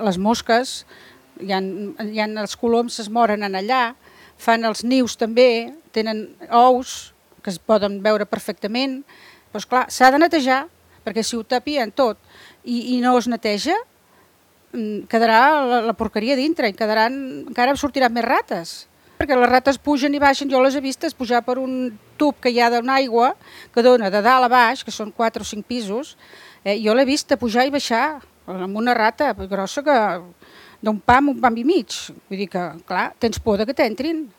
les mosques, els coloms es moren en allà, fan els nius també, tenen ous que es poden veure perfectament, però esclar, s'ha de netejar, perquè si ho tapien tot i no es neteja, quedarà la porqueria dintre i encara sortiran més rates, perquè les rates pugen i baixen, jo les he vistes pujar per un tub que hi ha d'una aigua que dona de dalt a baix, que són 4 o 5 pisos, jo l'he vista pujar i baixar amb una rata grossa que d'un pam i mig, vull dir que, clar, tens por que t'entrin.